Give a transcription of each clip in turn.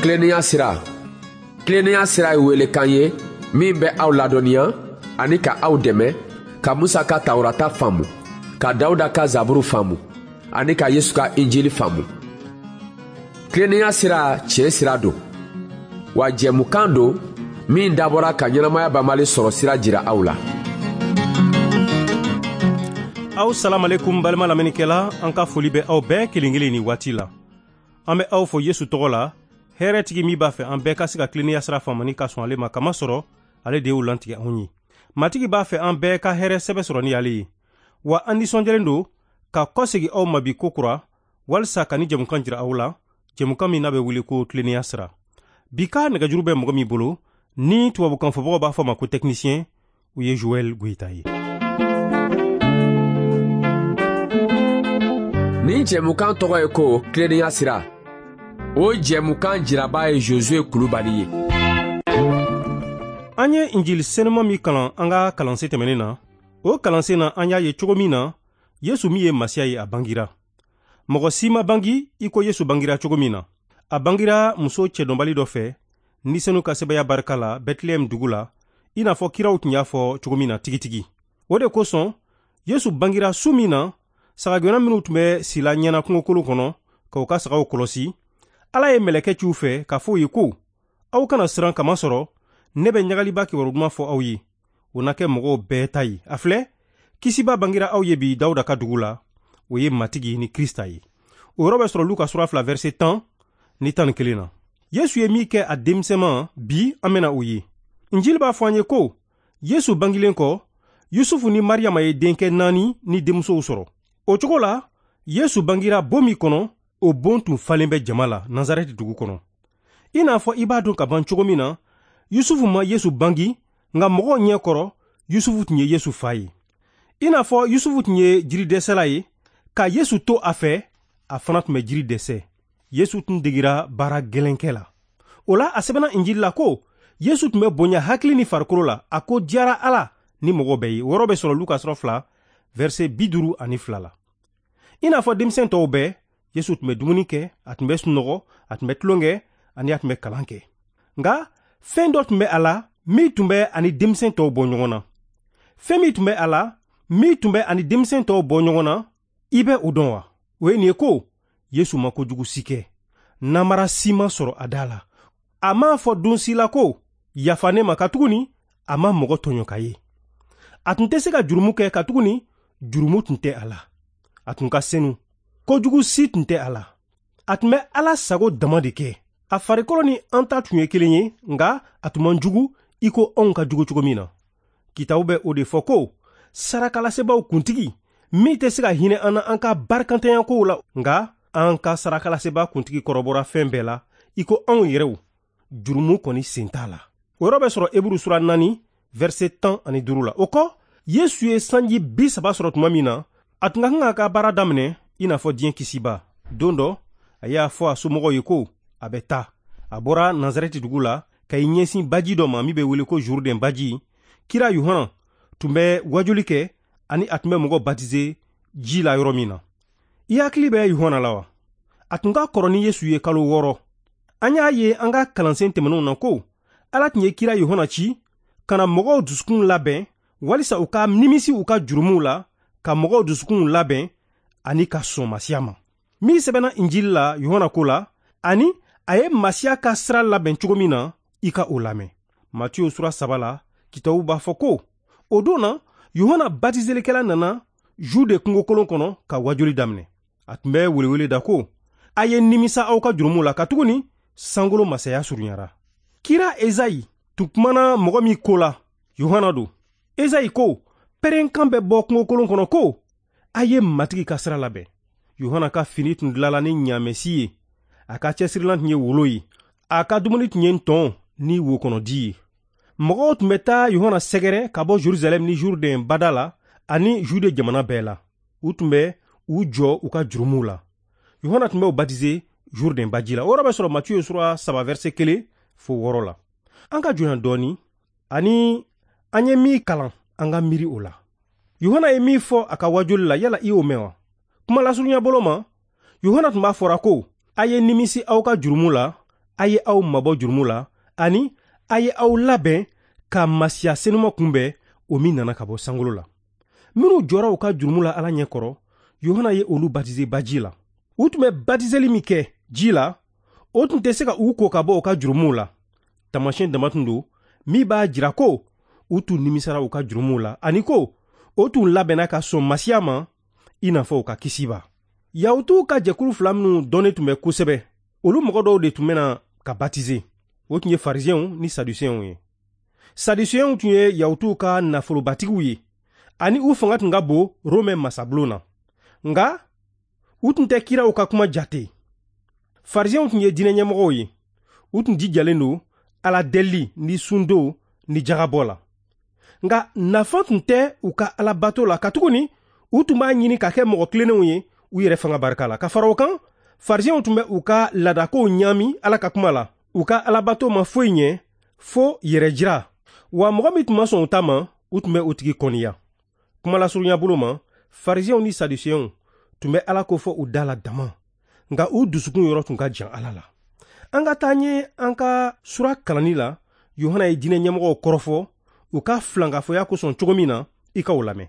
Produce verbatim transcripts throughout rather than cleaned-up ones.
Tilennenya sira. Tilennenya sira ye welekan ye min bɛ aw ladɔnniya ani ka aw dɛmɛ ka Musa ka Tawurata faamu, ka Dawuda ka Zaburu faamu ani ka Yesu ka Injili faamu. Tilennenya sira tiɲɛ sira don, wa jɛmukan don min dabɔra ka ɲɛnamaya banbali sɔrɔ sira jira aw la. Aw salamalekum balima lamɛnnikɛla, an ka foli bɛ aw bɛɛ kelen kelen ni waati la. An bɛ aw fo Yesu tɔgɔ la, hɛrɛtigi min b'a fɛ an bɛɛ ka se ka tilennenya sira faamu ni ka sɔn ale ma, kamasɔrɔ ale de y'o lantigɛ anw ye. Matigi b'a fɛ an bɛɛ ka hɛrɛ sɛbɛ sɔrɔ ni ale ye. Wa an nisɔndiyalen don ka kɔsegin aw ma bi kokura walisa ka ni jɛmukan jira aw la, jɛmukan min n'a bɛ wele ko tilennenya sira. Bi ka nɛgɛjuru bɛ mɔgɔ min bolo, ni tubabukan fɔbagaw b'a fɔ ma ko technicien, o ye Joël Goïta ye. Nin jɛmukan tɔgɔ ye ko tilennenya sira. O jɛmukan jiraba ye Josué Kulubali ye. An ye Injili senuma min kalan an ka kalansen tɛmɛnen na, o kalansen na an y'a ye cogo min na Yesu min ye Masiya ye, a bangira. Mɔgɔ si ma bangi i ko Yesu bangira cogo min na. A bangira muso cɛdɔnbali dɔ fɛ, ni senu ka sɛbɛya barika la Bɛtilɛhɛm dugu la, i n'a fɔ kiraw tun y'a fɔ cogo min na tigitigi. O de kosɔn Yesu bangira su min na, sagagɛnna minnu tun bɛ sila ɲɛna kungokolon kɔnɔ k'u ka sagaw kɔlɔsi, Ala ye mɛlɛkɛ ci u fɛ k'a fɔ u ye ko, aw kana siran, kamasɔrɔ ne bɛ ɲagaliba kibaru duman fɔ aw ye, o na kɛ mɔgɔw bɛɛ ta ye. A filɛ, kisiba bangira aw ye bi Dawuda ka dugu la, o ye Matigi ni Krista ye. O yɔrɔ bɛ sɔrɔ Luka sura fila verset tan ni tan ni kelen na. Yesu ye min kɛ a denmisɛnman, bi an bɛna o ye. Injili b'a fɔ an ye ko Yesu bangilen kɔ, Yusufu ni Mariyama ye denkɛ naani ni denmusow sɔrɔ. O cogo la, Yesu bangira bon min kɔnɔ, o bon tun falen bɛ jama la Nazarɛti dugu kɔnɔ. I n'a fɔ i b'a dɔn ka ban cogo min na, Yusufu ma Yesu bangi, nka mɔgɔw ɲɛ kɔrɔ, Yusufu tun ye Yesu fa ye. I n'a fɔ Yusufu tun ye jiridɛsɛla ye, ka Yesu to a fɛ, a fana tun bɛ jiri dɛsɛ. Yesu tun degira baara gɛlɛnkɛ la. O la, a sɛbɛnna Injili la ko Yesu tun bɛ bonya hakili ni farikolo la, a ko diyara Ala ni mɔgɔ bɛɛ ye. O yɔrɔ bɛ sɔrɔ Luka sura fila verset bi duuru ani fila la. I n'a fɔ denmisɛn tɔw bɛɛ, Yesu tun bɛ dumuni kɛ, a tun bɛ sunɔgɔ, a tun bɛ tulon kɛ, ani a tun bɛ kalan kɛ. Nka fɛn dɔ tun bɛ a la min tun bɛ ani denmisɛn tɔw bɔ ɲɔgɔn na. Fɛn min tun bɛ a la min tun bɛ ani denmisɛn tɔw bɔ ɲɔgɔn na, i bɛ o dɔn wa? O ye nin ye ko Yesu ma kojugu si kɛ, namara si ma sɔrɔ a da la. A m'a fɔ don si la ko yafa ne ma, katuguni a ma mɔgɔ tɔɲɔ ka ye. A tun tɛ se ka jurumu kɛ, katuguni jurumu tun tɛ a la. A tun ka senu, kojugu si tun tɛ a la. A tun bɛ Ala sago dama de kɛ. A farikolo ni an ta tun ye kelen ye, nka a tun man jugu i ko anw ka jugu cogo min na. Kitabu bɛ o de fɔ ko sarakalasebaaw kuntigi min tɛ se ka hinɛ an na an ka barikantanya kow la, nka an ka sarakalasebaa kuntigi kɔrɔbɔra fɛn bɛɛ la i ko anw yɛrɛw, jurumu kɔni sen t'a la. O yɔrɔ bɛ sɔrɔ Eburu sura naani verset tan ani duuru la. O kɔ, Yesu ye sanji bi saba sɔrɔ tuma min na, a tun ka kan k'a ka baara daminɛ i n'a fɔ diɲɛ kisiba. Don dɔ, a y'a fɔ a somɔgɔw ye ko a bɛ taa. A bɔra Nazarɛti dugu la ka i ɲɛsin baji dɔ ma min bɛ wele ko Jourdain baji. Kira Yohana tun bɛ wajuli kɛ ani a tun bɛ mɔgɔ batize ji la yɔrɔ min na. I hakili bɛ Yohana la wa? A tun ka kɔrɔ ni Yesu ye kalo wɔɔrɔ. An y'a ye an ka kalansen tɛmɛnenw na ko Ala tun ye kira Yohana ci ka na mɔgɔw dusukun labɛn walisa u ka nimisi u ka jurumuw la, ka mɔgɔw dusukunw labɛn ani ka sɔn Masiya ma. Min sɛbɛnna Injili la Yohana ko la, ani a ye Masiya ka sira labɛn cogo min na, i ka o lamɛn. Matiyo sura saba la, kitabu b'a fɔ ko o don na, Yohana batizelikɛla nana Jude kungokolon kɔnɔ ka wajuli daminɛ. A tun bɛ welewele da ko, a ye nimisa aw ka jurumuw la, katuguni sankolo masaya surunyara. Kira Ezayi tun kumana mɔgɔ min ko la, Yohana don. Ezayi ko, pɛrɛnkan bɛ bɔ kungokolon kɔnɔ ko, a ye Matigi ka sira labɛn. Yohana ka fini tun dilala ni ɲaamɛsi ye, a ka cɛsirilan tun ye wolo ye, a ka dumuni tun ye ntɔn ni wokɔnɔdi ye. Mɔgɔw tun bɛ taa Yohana sɛgɛrɛ ka bɔ Jerusalɛm ni Jourdain bada la ani Jude jamana bɛɛ la. U tun bɛ u jɔ u ka jurumuw la. Yohana tun bɛ u batize Jourdain baji la. O yɔrɔ bɛ sɔrɔ Matiyo sura saba verset kelen fo wɔɔrɔ la. An ka jɔ yan dɔɔni, ani an ye min kalan, an ka miiri o la. Yohana ye min fɔ a ka wajuli la, yala i y'o mɛn wa? Kuma lasurunya bolo ma, Yohana tun b'a fɔra ko a ye nimisi aw ka jurumu la A ye aw mabɔ jurumu la ani a ye aw labɛn ka Masiya senuma kunbɛn, o min nana ka bɔ sankolo la. Minnu jɔra u ka jurumu la Ala ɲɛ kɔrɔ, Yohana ye olu batize baji la. U tun bɛ batizeli min kɛ ji la, o tun tɛ se ka u ko ka bɔ u ka jurumuw la. Taamasiyɛn dama tun don min b'a jira ko u tun nimisara u ka jurumuw la ani ko o tun labɛnna ka sɔn Masiya ma i n'a fɔ u ka kisiba. Yahutuw ka jɛkulu fila minnu dɔnnen tun bɛ kosɛbɛ, olu mɔgɔ dɔw de tun bɛna ka batize. O tun ye Farisiyɛnw ni Sadusiyɛnw ye. Sadusiyɛnw tun ye Yahutuw ka nafolobatigiw ye ani u fanga tun ka bon Romɛ masabulon na. Nka u tun tɛ kiraw ka kuma jate. Farisiyɛnw tun ye diinɛ ɲɛmɔgɔw ye. U tun jijalen don Ala deli ni sundo ni jagabɔ la. Nka nafa tun tɛ u ka alabato la, katuguni u tun b'a ɲini ka kɛ mɔgɔ tilennenw ye u yɛrɛ fanga barika la. Ka fara o kan, Farisiyɛnw tun bɛ u ka laadakow ɲaami Ala ka kuma la. U ka alabato ma foyi ɲɛ fo yɛrɛjira. Wa mɔgɔ min tun ma sɔn u ta ma, u tun bɛ o tigi kɔniya. Kumalasurunya bolo ma, Farisiyɛnw ni Sadusiyɛnw tun bɛ Ala ko fɔ u da la dama, nka u dusukun yɔrɔ tun ka jan Ala la. An ka taa ɲɛ an ka sura kalanni la. Yohana ye diinɛ ɲɛmɔgɔw kɔrɔfɔ u ka filankafoya kosɔn cogo min na, i ka o lamɛn.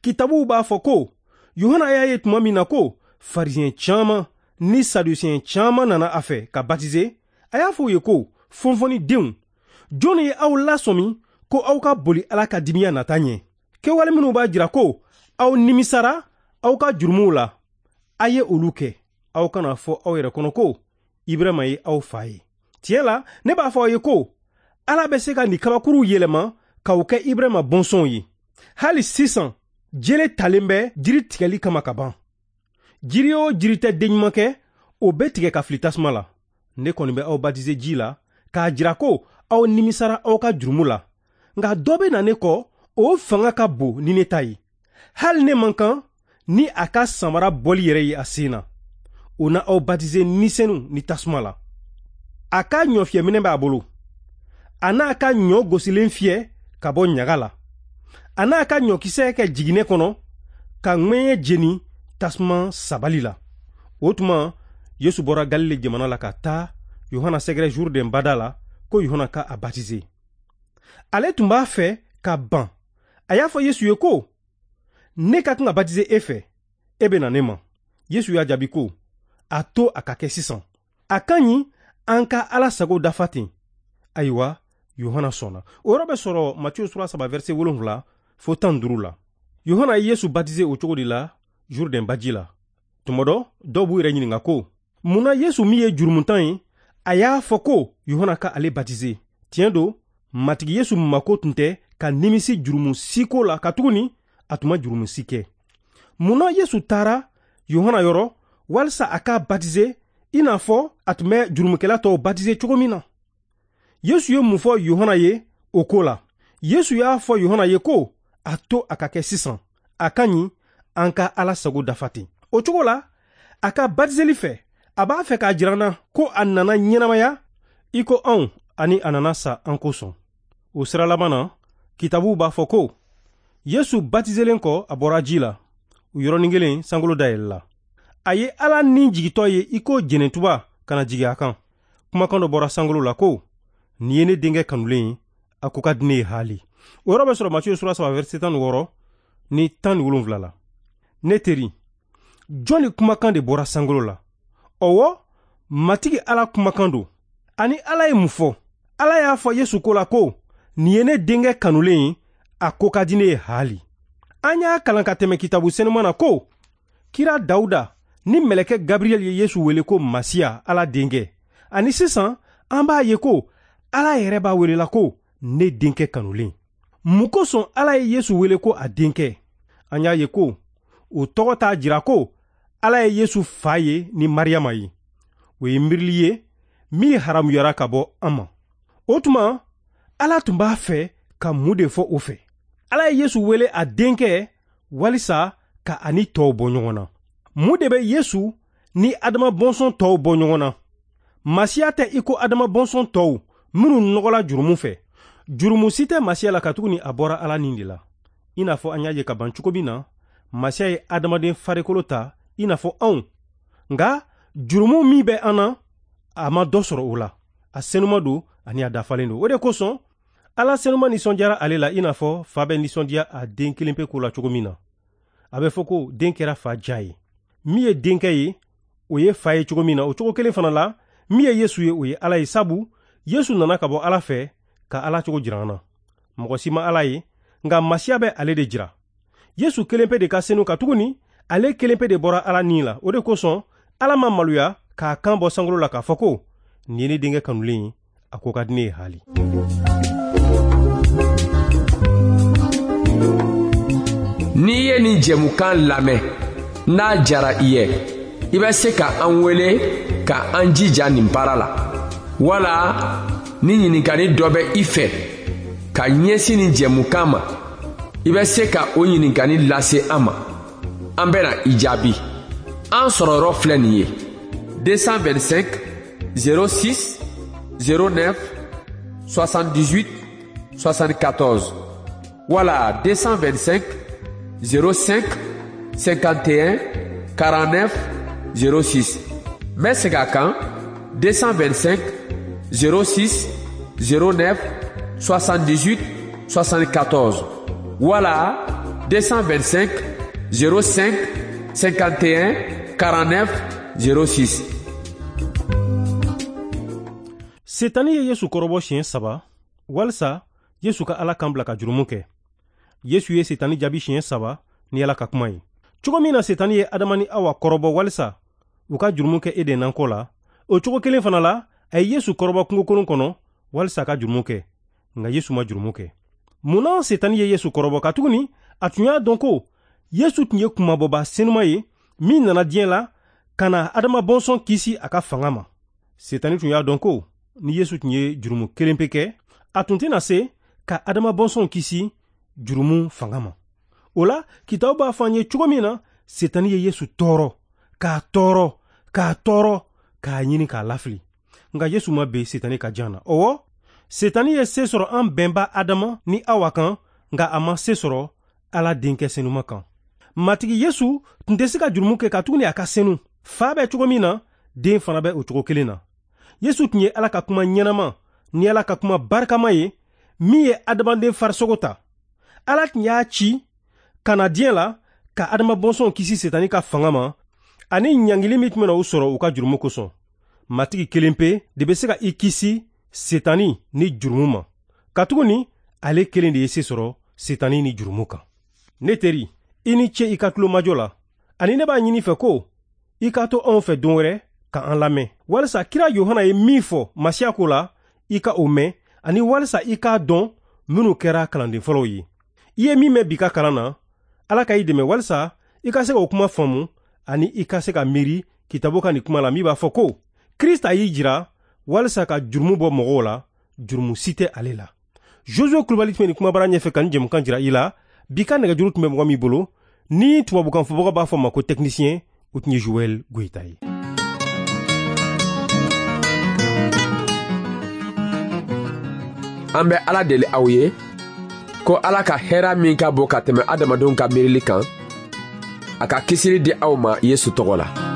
Kitabuw b'a fɔ ko Yohana y'a ye tuma min na ko Farisiyɛn caman ni Sadusiyɛn caman nana a fɛ ka batize, a y'a fɔ u ye ko fɔnfɔnnidenw, jɔnni ye aw lasɔmi ko aw ka boli Ala ka dimiya nata ɲɛ? Kɛwale minnu b'a jira ko aw nimisara aw ka jurumuw la, a ye olu kɛ. Aw kana fɔ aw yɛrɛ kɔnɔ ko Ibrahima ye aw fa ye. Tiɲɛ la, ne b'a fɔ aw ye ko Ala bɛ se ka nin kabakuruw yɛlɛma k'aw kɛ Ibrahima bɔnsɔnw ye. Hali sisan, jele talen bɛ jiri tigɛli kama ka ban. Jiri o jiri tɛ den ɲuman kɛ, o bɛ tigɛ ka fili tasuma la. Ne kɔni bɛ aw batize ji la k'a jira ko aw nimisara aw ka jurumu la. Nka dɔ bɛ na ne kɔ, o fanga ka bon ni ne ta ye. Hali ne man kan ni a ka samara bɔli yɛrɛ ye a sen na. O na aw batize ni senu ni tasuma la. A ka ɲɔfiyɛminɛ b'a bolo. A n'a ka ɲɔ gosilen fiyɛ ka bɔ ɲaga la. A n'a ka ɲɔkisɛ kɛ jiginɛ kɔnɔ ka ŋɛɲɛ jeni tasuma sabali la. O tuma, Yesu bɔra Galile jamana la ka taa Yohana sɛgɛrɛ Jourdain bada la ko Yohana ka a batize. Ale tun b'a fɛ ka ban. A y'a fɔ Yesu ye ko, ne ka kan ka batize e fɛ, e bɛ na ne ma. Yesu y'a jaabi ko, a to a ka kɛ sisan. A ka ɲi an ka Ala sago dafa ten. Ayiwa, Yohana sɔnna. O yɔrɔ bɛ sɔrɔ Matiyu sura saba verset wolonwula fo tan duuru la. Yohana ye Yesu batize o cogo de la Jourdain baji la. Tuma dɔ, dɔw b'u yɛrɛ ɲininka ko, mun na Yesu min ye jurumuntan ye, a y'a fɔ ko Yohana ka ale batize? Tiɲɛ don, Matigi Yesu mako tun tɛ ka nimisi jurumu si ko la, katuguni a tun ma jurumu si kɛ. Mun na Yesu taara Yohana yɔrɔ walisa a k'a batize i n'a fɔ a tun bɛ jurumukɛla tɔw batize cogo min na? Yesu ye mun fɔ Yohana ye o ko la? Yesu y'a fɔ Yohana ye ko a to a ka kɛ sisan, a ka ɲi an ka Ala sago dafa ten. O cogo la, a ka batizeli fɛ, a b'a fɛ k'a jira an na ko a nana ɲɛnamaya i ko anw ani a nana sa an kosɔn. O sira laban na, kitabuw b'a fɔ ko Yesu batizelen kɔ, a bɔra ji la. O yɔrɔnin kelen, sankolo dayɛlɛla. A ye Ala ni jigitɔ ye i ko jɛnɛtuba ka na jigin a kan. Kumakan dɔ bɔra sankolo la ko, nin ye ne denkɛ kanulen ye, a ko ka di ne ye haali. O yɔrɔ bɛ sɔrɔ Matiyu sura saba verset tan ni wɔɔrɔ ni tan ni wolonwula la. Ne teri, jɔn ni kumakan de bɔra sankolo la? Ɔwɔ, Matigi Ala kumakan don. Ani Ala ye mun fɔ? Ala y'a fɔ Yesu ko la ko, nin ye ne denkɛ kanulen ye, a ko ka di ne ye haali. An y'a kalan ka tɛmɛ kitabu senuman na ko, kira Dawuda ni mɛlɛkɛ Gabriel ye Yesu wele ko Masiya, Ala denkɛ. Ani sisan, an b'a ye ko Ala yɛrɛ b'a wele la ko ne denkɛ kanulen. Mun kosɔn Ala ye Yesu wele ko a denkɛ? An y'a ye ko o tɔgɔ t'a jira ko Ala ye Yesu fa ye ni Mariyama ye. O ye miirili ye min haramuyara ka bɔ an ma. O tuma, Ala tun b'a fɛ ka mun de fɔ o fɛ? Ala ye Yesu wele a denkɛ walisa ka a ni tɔw bɔ ɲɔgɔn na. Mun de bɛ Yesu ni Adama bɔnsɔn tɔw bɔ ɲɔgɔn na? Masiya tɛ i ko Adama bɔnsɔn tɔw minnu nɔgɔla jurumu fɛ. Jurumu si tɛ Masiya la katuguni a bɔra Ala ni de la. I n'a fɔ an y'a ye ka ban cogo min na, Masiya ye adamaden farikolo ta i n'a fɔ anw. Nka jurumu min bɛ an na, a ma dɔ sɔrɔ o la. A senuma don ani a dafalen don. O de kosɔn Ala senuma nisɔndiyara ale la i n'a fɔ fa bɛ nisɔndiya a den kelen pe ko la cogo min na. A bɛ fɔ ko den kɛra fa ja ye. Min ye denkɛ ye, o ye fa ye cogo min na, o cogo kelen fana la, min ye Yesu ye, o ye Ala ye, sabu Yesu nana ka bɔ Ala fɛ ka Ala cogo jira an na. Mɔgɔ si ma Ala ye, nka Masiya bɛ ale de jira. Yesu kelen pe de ka senu, katuguni ale kelen pe de bɔra Ala ni la. O de kosɔn Ala ma maloya k'a kan bɔ sankolo la k'a fɔ ko nin ye ne denkɛ kanulen ye, a ko ka di ne ye haali. N'i ye nin jɛmukan lamɛn, n'a jara i ye, i bɛ se ka an wele ka an jija nin baara la. Wala ni ɲininkali dɔ bɛ i fɛ ka ɲɛsin nin jɛmukan ma, i bɛ se ka o ɲininkali lase an ma. An bɛna i jaabi. An sɔrɔyɔrɔ filɛ nin ye: deux cent vingt-cinq zéro six zéro neuf soixante-dix-huit soixante-quatorze wala deux cent vingt-cinq zéro cinq cinquante et un quarante-neuf zéro six. N bɛ segin a kan: deux cent vingt-cinq zéro six zéro neuf soixante-dix-huit soixante-quatorze wala deux cent vingt-cinq zéro cinq cinquante et un quarante-neuf zéro six. Setani ye Yesu kɔrɔbɔ siɲɛ saba walisa Yesu ka Ala kan bila ka jurumu kɛ. Yesu ye Setani jaabi siɲɛ saba ni Ala ka kuma ye. Cogo min na Setani ye Adama ni Awa kɔrɔbɔ walisa u ka jurumu kɛ Eden nakɔ la, o cogo kelen fana la, a ye Yesu kɔrɔbɔ kungokolon kɔnɔ walisa a ka jurumu kɛ. Nka Yesu ma jurumu kɛ. Mun na Setani ye Yesu kɔrɔbɔ? Katuguni a tun y'a dɔn ko Yesu tun ye kunmabɔba senuma ye min nana diɲɛ la ka na Adama bɔnsɔn kisi a ka fanga ma. Setani tun y'a dɔn ko ni Yesu tun ye jurumu kelen pe kɛ, a tun tɛna se ka Adama bɔnsɔn kisi jurumu fanga ma. O la, kitabu b'a fɔ an ye cogo min na Setani ye Yesu tɔɔrɔ, k'a tɔɔrɔ, k'a tɔɔrɔ, k'a ɲini k'a lafili. Nka Yesu ma ben Setani ka jan na. Ɔwɔ, Setani ye se sɔrɔ an bɛnba Adama ni Awa kan, nka a ma se sɔrɔ Ala denkɛ senuma kan. Matigi Yesu tun tɛ se ka jurumu kɛ katuguni a ka senu. Fa bɛ cogo min na, den fana bɛ o cogo kelen na. Yesu tun ye Ala ka kuma ɲɛnama ni Ala ka kuma barikama ye min ye adamaden farisogo ta. Ala tun y'a ci ka na diɲɛ la ka Adama bɔnsɔnw kisi Setani ka fanga ma ani ɲangili min tun bɛna u sɔrɔ u ka jurumu kosɔn. Matigi kelen pe de bɛ se ka i kisi Setani ni jurumu ma, katuguni ale kelen de ye se sɔrɔ Setani ni jurumu kan. Ne teri, i ni ce i ka tulomajɔ la, ani ne b'a ɲini fɛ ko i ka to anw fɛ don wɛrɛ ka an lamɛn, walisa kira Yohana ye min fɔ Masiya ko la, i ka o mɛn, ani walisa i k'a dɔn minnu kɛra kalanden fɔlɔw ye. I ye min mɛn bi ka kalan na, Ala ka i dɛmɛ walisa i ka se k'o kuma faamu ani i ka se ka miiri kitabu ka nin kuma la min b'a fɔ ko Krista y'i jira walisa ka jurumu bɔ mɔgɔw la, jurumu si tɛ ale la. Josué Kulubali tun bɛ nin kumabara ɲɛfɛ ka nin jɛmukan jira i la. Bi ka nɛgɛjuru tun bɛ mɔgɔ min bolo, ni tubabukan fɔbaga b'a fɔ ma ko technicien, o tun ye Joël Goïta ye. An bɛ Ala deli aw ye ko Ala ka hɛrɛ min ka bon ka tɛmɛ adamadenw ka miirili kan, a ka kisili di aw ma Yesu tɔgɔ la.